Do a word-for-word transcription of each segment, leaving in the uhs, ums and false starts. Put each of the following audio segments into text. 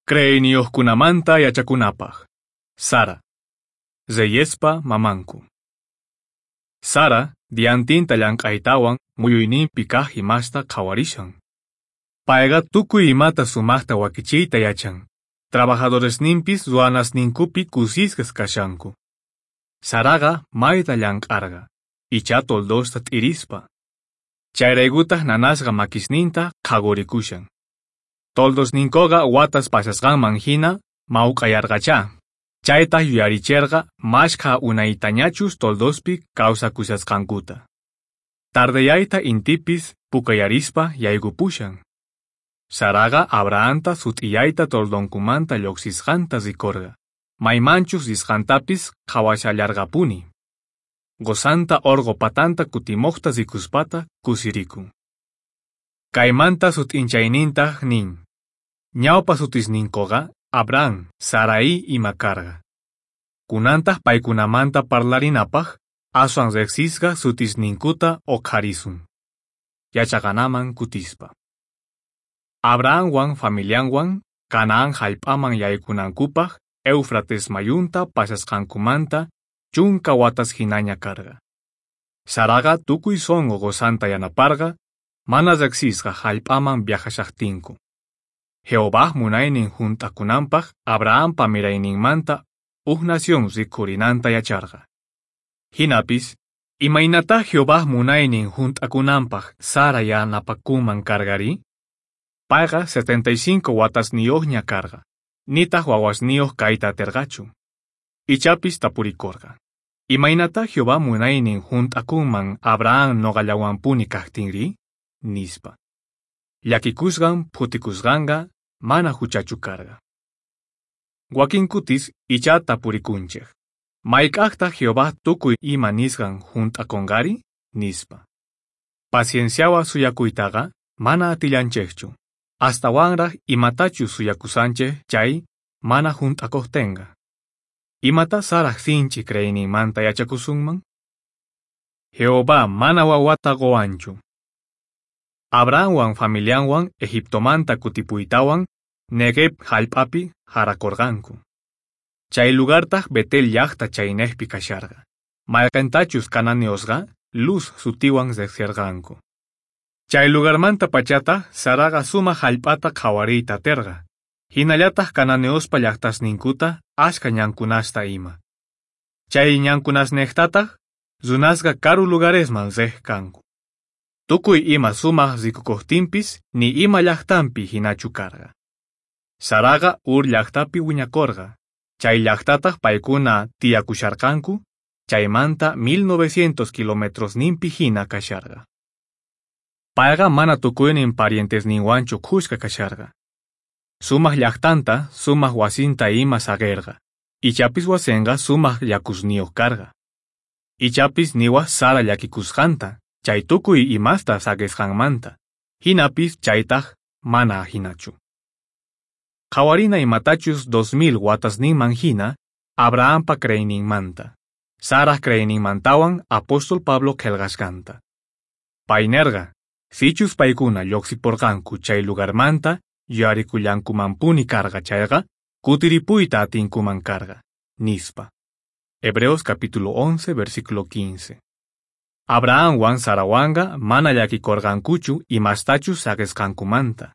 Creeyniyuqkunamanta yachakunapaq. Sara. Reyespa mamanku. Sara diantinta llank'aytawan muyuyninpi kaq imasta qhawarishan. Payqa tukuy imata sumaqta wakichiyta yachan. Trabajadoresninpis ruwanasninkupi kusisqas kashanku. Saraqa mayta llank'arqa, icha toldosta t'irispa. Chayraykutaq nanasqa makisninta qhaqurikushan. Toldosninkoqa watas pasasqanman hina mawk'ayarqachá. Chaytaq yuyaricherqa mashkha unaytañachus toldospi kawsakushasqankuta. Tardeyayta intipis pukayarispa yaykupushan. Saraqa Abrahamta sut'iyayta toldonkumanta lluqsisqanta rikurqa. Maymanchus risqantapis qhawashallarqapuni. Qusanta orqo patanta kutimoqta rikuspata kusirikun. Kaymanta sut'inchaynintaq nin. Ñawpa sutisninkoqa Abraham, Sarai ima karqa. Kunantaq paykunamanta parlarinapaq aswan riqsisqa sutisninkuta uqharisun. Yachaqanaman kutispa. Abrahamwan familianwan Canaán hallp'aman yaykunankupaq Éufrates mayunta pasasqankumanta chunka watas hinaña karqa. Saraqa tukuy sunqu qusanta yanaparqa mana riqsisqa hallp'aman viajashaqtinku. Jehová munaynin hunt'akunanpaq Abrahampa mirayninmanta uj nación rikhurinanta yacharqa. Hinapis, imaynatá Jehová munaynin hunt'akunanpaq Sara yanapakunman karqari? Payqa setenta y cinco watasniyuqña karqa, nitaq wawasniyuq kayta atirqachu. Ichapis tapurikurqa. Imaynatá Jehová munaynin hunt'akunman Abraham noqallawanpuni kaqtinri? Nispa. Llakikusqan phutikusqanqa mana huchachu karqa. Wakin kutis icha tapurikunchik. Mayk'aqtaq Jehová tukuy ima nisqan hunt'akunqari? Nispa. Pacienciawan suyakuytaqa mana atillanchikchu. Astawanraq imatachus suyakusanchik chay mana hunt'akuqtinqa. Imata Saraj sinchi creeyninmanta yachakusunman? Jehová mana wawata quwanchu. Abrahamwan familianwan Egiptomanta kutipuytawan Negev hallp'api harakurqanku. Chay lugartaq Betel llaqta chaynejpi kasharqa. Mayqintachus cananeosqa Luz sutiwan riqsirqanku. Chay lugarmanta pachata Saraqa sumaq hallp'ata qhawariyta atirqa. Hinallataq cananeospa llaqtasninkuta ashka ñankunasta ima. Chay ñankunasniqtataq runasqa karu lugaresman riq kanku. Tukuy ima sumaq rikukuqtinpis ni ima llaqtanpi hinachu karqa. Saraqa Ur llaqtapi wiñakurqa. Chay llaqtataq paykuna tiyakusharqanku, chaymanta mil novecientos kilometrosninpi hina kasharqa. Payqa mana tukuynin parientesninwanchu khuska kasharqa. Sumaq llaqtanta, sumaq wasinta ima saqirqa. Ichapis wasinqa sumaq yakusniyuq karqa. Ichapis niwa Sara llakikusqanta, chay tukuy imasta saqisqanmanta. Hinapis chaytaq mana hinachu. Qhawarina imatachus dos mil watasninman hina Abrahampa creeyninmanta, Saraj creeyninmantawan apóstol Pablo qillqasqanta. Pay nerqa, sichus paykuna lluqsipurqanku chay lugarmanta yuyarikullankumanpuni karqa chayqa, kutiripuyta atinkuman karqa, nispa. Hebreos capítulo once, versículo quince. Abrahamwan Sarawanqa mana llakikurqankuchu imastachus saqisqankumanta.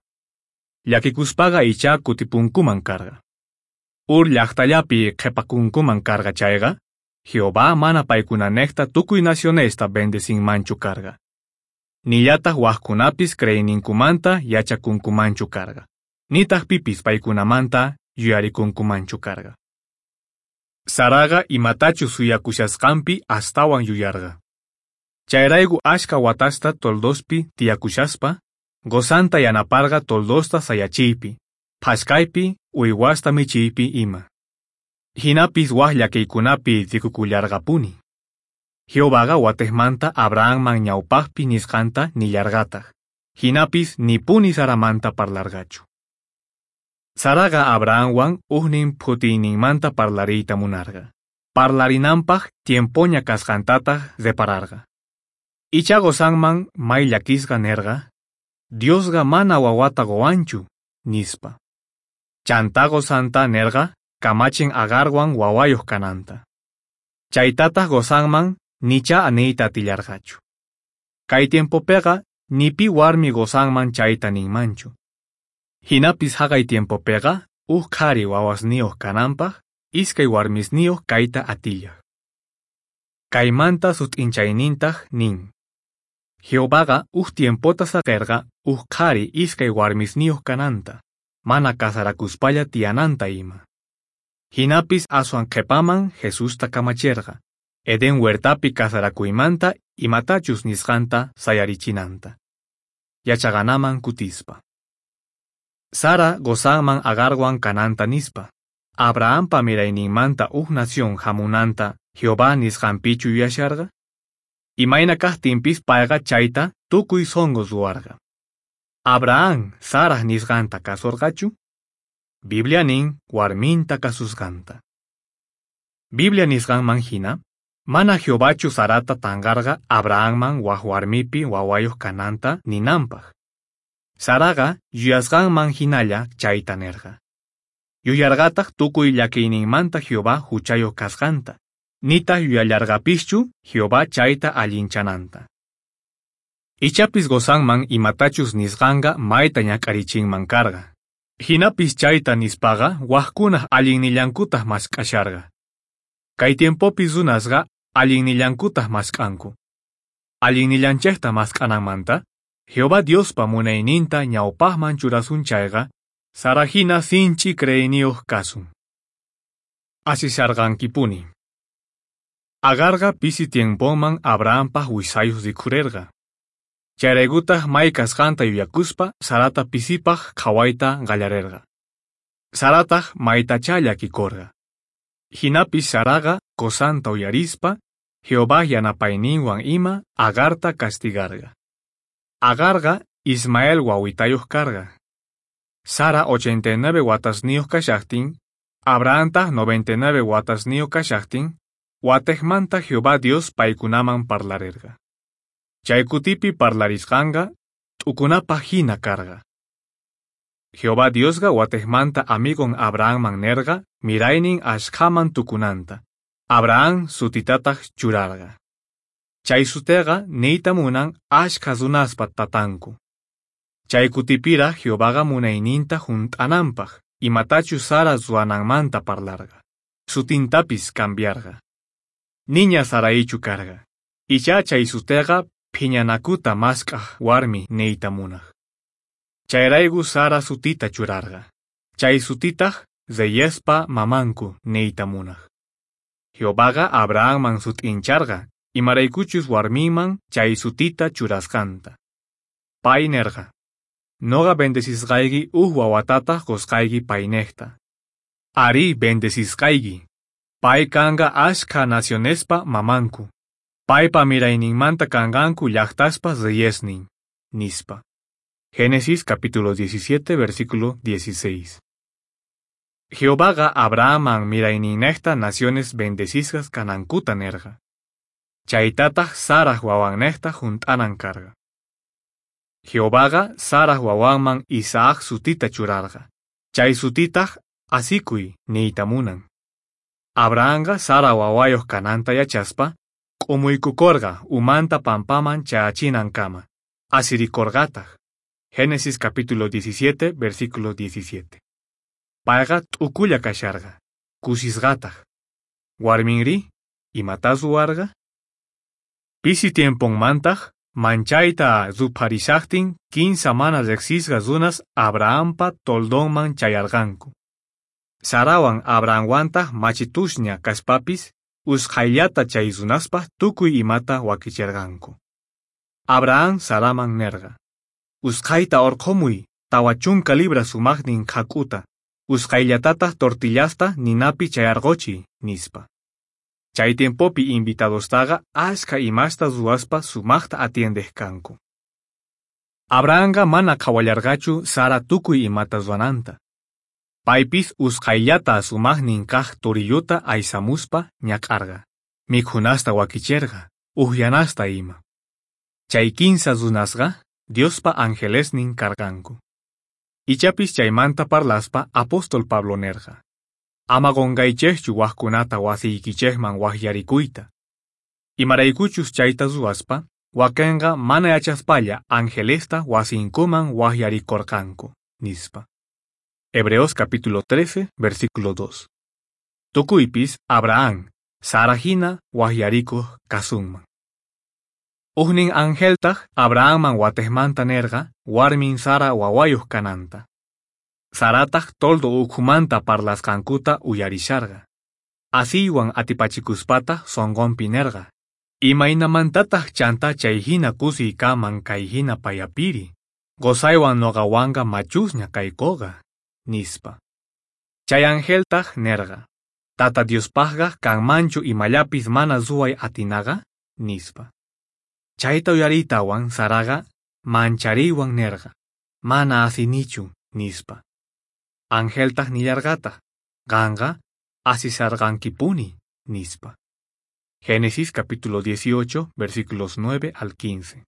Llakikuspaqa icha kutipunkuman karqa. Ur llaqtallapi qhipakunkuman karqa chayqa, Jehová mana paykunanejta tukuy nacionesta bendecinmanchu karqa. Nillataq wajkunapis creeyninkumanta yachakunkumanchu karqa. Nitaq pipis paykunamanta yuyarikunkumanchu karqa. Saraqa imatachus suyakushasqanpi astawan yuyarqa. Chayrayku ashka watasta toldospi tiyakushaspa, qusanta yanaparqa toldosta sayachiypi, phashkaypi, uywasta michiypi ima. Hinapis waj llakiykunapi rikukullarqapuni. Jehovaqa watejmanta Abrahamman ñawpaqpi nisqanta nillarqataq. Hinapis nipuni Saramanta parlarqachu. Saraqa Abrahamwan ujnin phutiyninmanta parlariyta munarqa. Parlarinanpaq tiempoña kasqantataq repararqa. Icha qusanman may llakisqa nerqa, Diosqa mana wawata quwanchu, nispa. Chantá qosanta nerqa kamachin Agarwan wawayoj kananta. Chaytataj qosanman nichá niyta atillarqachu. Kay tiempopeqa ni pi warmi qosanman chayta ninmanchu. Jinapis jaqay tiempopeqa uj qhari wawasniyoj kananpaj iskay warmisniyoj kayta atillaj. Kaymanta sut'inchaynintaj nin: Jehovaqa uj tiempota saqerqa uj qhari iskay warmisniyoj kananta, mana casarakuspalla tiyananta ima. Jinapis aswan qhepaman Jesusta kamacherqa, Edén huertapi casarakuymanta imatachus nisqanta sayarichinanta. Yachaqanaman kutispa. Sara qosanman Agarwan kananta nispa, Abrahampa mirayninmanta uj nación hamunanta Jehová nisqanpichu yuyasharqa? Imayna kajtinpis payqa chayta tukuy sonqo ruwarqa. Abraham Saraj nisqanta kasorqachu? Biblia nin warminta kasusqanta. Biblia nisqanman hina, mana Jehovachu Sarata tanqarqa Abrahamman waj warmipi wawayoj kananta ninanpaj. Saraqa yuyasqanman hinalla chayta nerqa. Yuyarqataj tukuy llakiyninmanta Jehová huchayoj kasqanta, nitaj yuyallarqapischu Jehová chayta allinchananta. Ichapis qosanman imatachus nisqanqa mayta ñak'arichinman karqa. Jinapis chayta nispaqa wajkunaj allinnillankutaj mask'asharqa. Kay tiempopi runasqa allinnillankutaj mask'anku. Allinnillanchejta mask'ananmanta, Jehová Diospa munayninta ñawpajman churasun chayqa, Sara hina sinch'i creeyniyoj kasun. Asisharqankipuni. Agarqa pisi tiemponman Abrahampaj wijsayoj rikhurerqa. Chayraykutaj may kasqanta yuyakuspa Sarata pisipaj qhawayta qallarerqa. Sarataj maytachá llakikorqa. Jinapis Saraqa qosanta uyarispa, Jehová yanapayninwan ima Agarta castigarqa. Agarqa Ismael wawitayoj karqa. Sara ochenta y nueve watasniyoj kashajtin, Abrahamtaj noventa y nueve watasniyoj kashajtin, watejmanta Jehová Dios paykunaman parlarerqa. Chay kutipi parlarisqanqa t'ukunapaj hina karqa. Jehová Diosqa watejmanta amigon Abrahamman nerqa miraynin ashkhaman tukunanta. Abraham sutitataj churarqa. Chay suteqa niyta munan ashkha runaspa tatanku. Chay kutipiraj Jehovaqa munayninta junt'ananpaj imatachus Sara ruwananmanta parlarqa. Sutintapis cambiarqa. Niña Saraichu karqa. Ichá chay suteqa phiñanakuta mask'aj warmi niyta munaj. Chayrayku Sara sutita churarqa. Chay sutitaj reyespa mamanku niyta munaj. Jehovaqa Abrahamman sut'incharqa imaraykuchus warminman chay sutita churasqanta. Pay nerqa: Noqa bendecisqayki uj wawatataj qosqayki paynejta. Arí, bendecisqayki. Pay kanqa ashkha nacionespa mamanku. Paypa mirayninmanta kanqanku llajtaspa reyesnin, nispa. Génesis capítulo diecisiete, versículo dieciséis. Jehovaqa Abrahamman mirayninnejta naciones bendecisqas kanankuta nerqa. Chaytataj Saraj wawannejta junt'anan karqa. Jehovaqa Saraj wawanman Isaac sutita churarqa. Chay sutitaj asikuy niyta munan. Abrahamqa Sara wawayoj kananta yachaspa, k'umuykukorqa umanta pampaman chayachinankama, asirikorqataj. Génesis capítulo diecisiete, versículo diecisiete. Payqa t'ukulla kasharqa, kusisqataj. Warminrí, imatá ruwarqa? Pisi tiemponmantaj, manchayta rupharishajtin kinsa mana rejsisqa runas Abrahampa toldonman chayarqanku. Sarawan Abrahamwantaj machitusña kaspapis, usqhayllata chay runaspaj tukuy imata wakicherqanku. Abraham Saraman nerqa: Usqhayta orqhomuy tawa chunka libra sumajnin jak'uta, usqhayllatataj tortillasta ninapi chayarqochiy, nispa. Chay tiempopi invitadostaqa ashkha imasta ruwaspa sumajta atiendej kanku. Abrahamqa mana qhawallarqachu Sara tukuy imata ruwananta. Paypis usqhayllata sumajnin kaj torilluta aysamuspa ñak'arqa, mikhunasta wakicherqa, ujyanasta ima. Chay kinsa runasqa Diospa angelesnin karqanku. Ichapis chaymanta parlaspa apóstol Pablo nerqa: Ama qonqaychejchu wajkunata wasiykichejman wajyarikuyta. Imaraykuchus chayta ruwaspa, wakenqa mana yachaspalla angelesta wasinkuman wajyarikorqanku, nispa. Hebreos capítulo trece, versículo dos. Tukuypis Abraham, Sara hina wajyarikuj kasunman. Ujnin angeltaj Abrahamman watejmanta nerqa warmin Sara wawayuj kananta. Sarataj toldo ukhumanta parlasqankuta uyarisharqa. Asiywan atipachikuspataj sonqonpi nerqa: Imaynamantataq chanta chayhina kusiy kaman kayhina payapiri, qosaywan noqawanqa machusña kaykoqa, nispa. Chay angeltaj nerqa: Tata Diospajqa kanmanchu imallapis mana ruway atinaqa, nispa. Chayta uyariytawan Saraqa manchariywan nerqa: Mana asinichu, nispa. Angeltaj nillarqataq: Qanqa asisarqankipuni, nispa. Génesis capítulo dieciocho, versículos nueve al quince.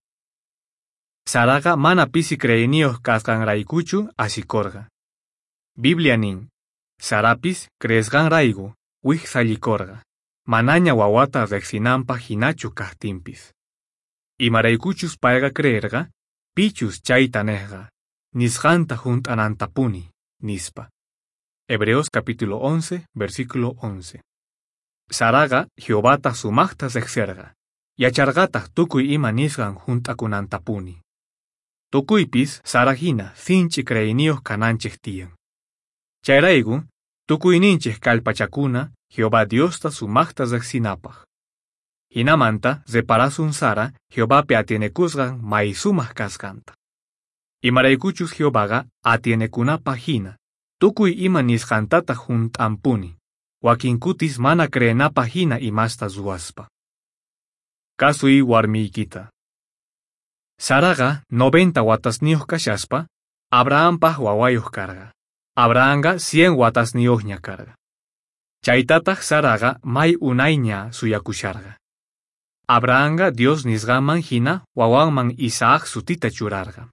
Saraqa mana pisi creeyniyuq kasqanraykuchu asikorqa. Biblia nin: Sarapis creesqanrayku wijsallikorqa, manaña wawata riqsinanpaq hinachu kaqtinpis. Imaraykuchus payqa creerqa, pichus chayta nejqa, nisqanta junt'anantapuni, nispa. Hebreos capítulo once, versículo once. Saraqa Jehovata sumaqta riqserqa, yacharqataq tukuy ima nisqan junt'akunantapuni. Tukuypis Sara hina sinch'i creeyniyuq kananchik tiyan. Chayrayku, tukuyninchik kallpachakuna Jehová Diosta sumaqta riqsinapaq. Hinamanta reparasun Sara Jehovapi atienekusqan may sumaq kasqanta. Imaraykuchus Jehovaqa atienekunapaq hina, tukuy ima nisqantataq junt'anpuni, wakin kutis mana creenapaq hina imasta ruwaspa. Kasuy warmiykita. Saraqa noventa watasniyuq kashaspa, Abrahampaq wawayuq karqa. Abrahamqa cien watasniyuqña karqa. Chaytataq Saraqa may unayña suyakusharqa. Abrahamqa Dios nisqanman hina wawanman Isaac sutita churarqa.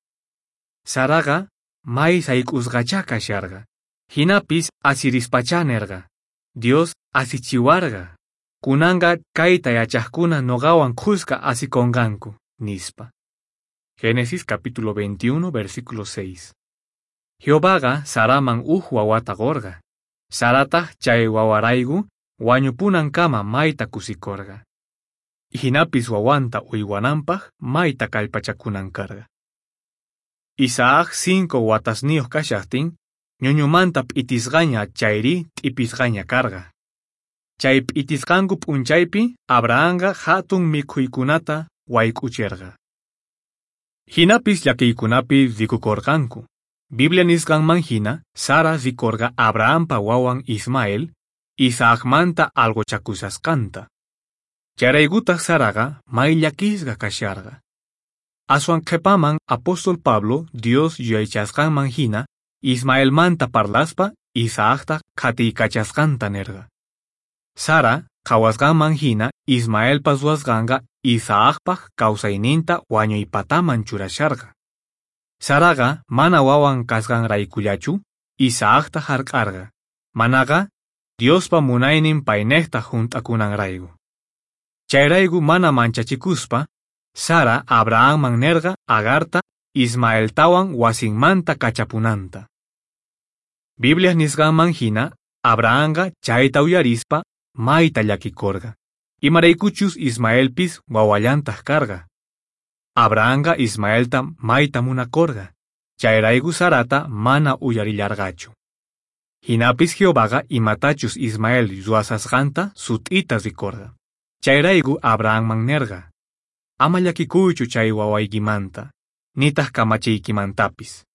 Saraqa may sayk'usqachá kasharqa. Hinapis asirispachá nerqa: Dios asichiwarqa. Kunanqa kayta yachaqkuna noqawan khuska asikonqanku, nispa. Génesis capítulo veintiuno, versículo seis. Jehovaqa Saraman uj wawata qorqa. Sarataq chay wawarayku wañupunankama mayta kusikorqa. Hinapis wawanta uywananpaq mayta kallpachakunan karqa. Isaac cinco watasniyuq kashaqtin, ñuñumanta p'itisqaña chayri t'ipisqaña karqa. Chay p'itisqanku p'unchaypi Abrahamqa hatun mikhuykunata wayk'ucherqa. Hinapis llakiykunapi rikukorqanku. Biblia nisqanman hina, Sara rikorqa Abrahampa wawan Ismael, Isaacmanta algochakusasqanta. Chayraykutaq Saraqa may llakisqa kasharqa. Aswan qhipaman apóstol Pablo Dios yuyaychasqanman hina Ismaelmanta parlaspa Isaacta qhatiykachasqanta nerqa. Sara qhawasqanman hina Ismaelpa ruwasqanqa Isaacpaq kawsayninta wañuypataman churasharqa. Saraqa mana wawan kasqanraykullachu Isaacta hark'arqa, manaqa Diospa munaynin paynejta junt'akunanrayku. Chayrayku mana manchachikuspa, Sara Abrahamman nerqa Agarta Ismaeltawan wasinmanta kachapunanta. Biblia nisqanman hina, Abrahamqa chayta uyarispa mayta llakikorqa. Imaraykuchus Ismaelpis wawallantaq karqa. Abrahamqa Ismaelta mayta munakorqa, chayrayku Sarata mana uyarillarqachu. Hinapis Jehovaqa imatachus Ismael ruwasasqanta sut'ita rikorqa. Chayrayku Abrahamman nerqa: Ama llakikuychu chay wawaykimanta, nitaq kamachiykimantapis.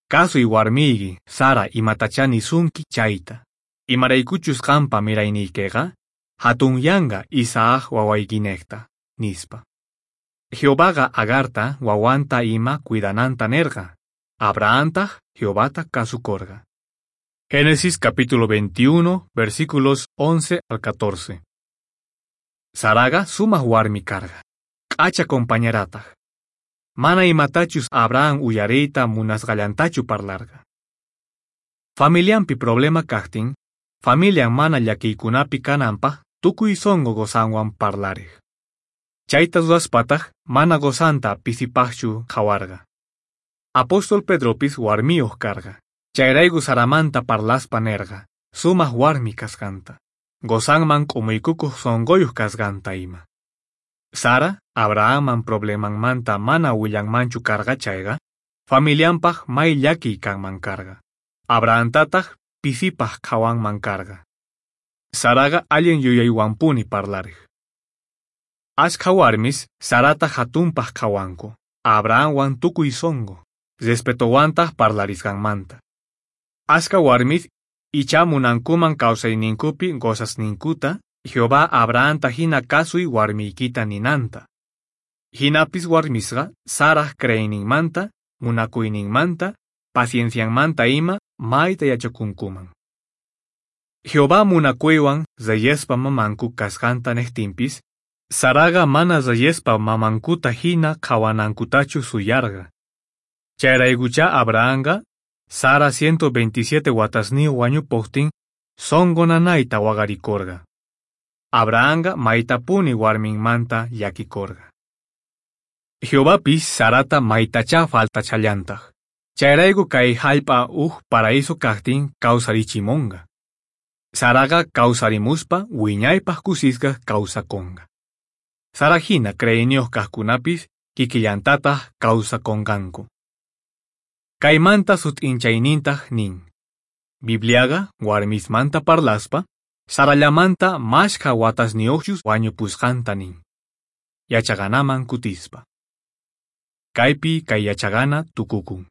Kasuy warmiyki Sara imatachá nisunki chayta. Imaraykuchus qanpa mirayniykiqa hatunyanqa Isaac wawaykinejta, nispa. Jehovaqa Agarta wawanta ima cuidananta nerqa. Abrahamtaj Jehovata kasukorqa. Génesis capítulo veintiuno, versículos once al catorce. Saraqa sumaq warmi karqa, k'acha compañerataq. Mana imatachus Abraham uyariyta munasqallantachu parlarqa. Familianpi problema kaqtin, familian mana llakiykunapi kananpaq tukuy sunqu qosanwan parlariq. Chayta ruwaspataq mana qosanta pisipaqchu qhawarqa. Apóstol Pedropis warmiyuq karqa. Chayrayku Saramanta parlaspa nerqa, sumaq warmi kasqanta. Qosanman k'umuykukuq sunquyuq kasqanta ima. Sara, Abrahamman problemanmanta mana willanmanchu karqa chayqa, familianpaq may llakiy kanman karqa. Abrahamtataq pisipaq qhawanman karqa. Saraqa allin yuyaywanpuni parlariq. Ashkha warmis Sarata hatunpaq qhawanku, Abrahamwan tukuy sunqu, respetowantaq parlarisqanmanta. Ashkha warmis icha munankuman kawsayninkupi qosasninkuta Jehová Abrahamta hina kasuy warmiykita ninanta. Hinapis warmisqa Saraj creeyninmanta, munakuyninmanta, paciencianmanta ima mayta yachakunkuman. Jehová munakuywan reyespa mamanku kasqanta niqtinpis, Saraqa mana reyespa mamankuta hina qhawanankutachu suyarqa. Chayraykucha Abrahamqa Sara ciento veintisiete watasniyuq wañupuqtin sunqu nanayta waqarikurqa. Abrahamqa maytapuni warminmanta llakikurqa. Jehovapis Sarata maytacha faltachallantaq. Chayrayku kay hallp'a uj paraíso kaqtin kawsarichimunqa. Saraqa kawsarimuspa wiñaypaq kusisqa kawsakunqa. Sara hina creeyniyuq kaqkunapis kikillantataq kawsakunqanku. Kaymanta sut'inchaynintaq nin. Bibliaqa warmismanta parlaspa, Sarallamanta mashkha watasniyuqchus wañupusqanta nin. Yachaqanaman kutispa. Kaypi kay yachaqana tukukun.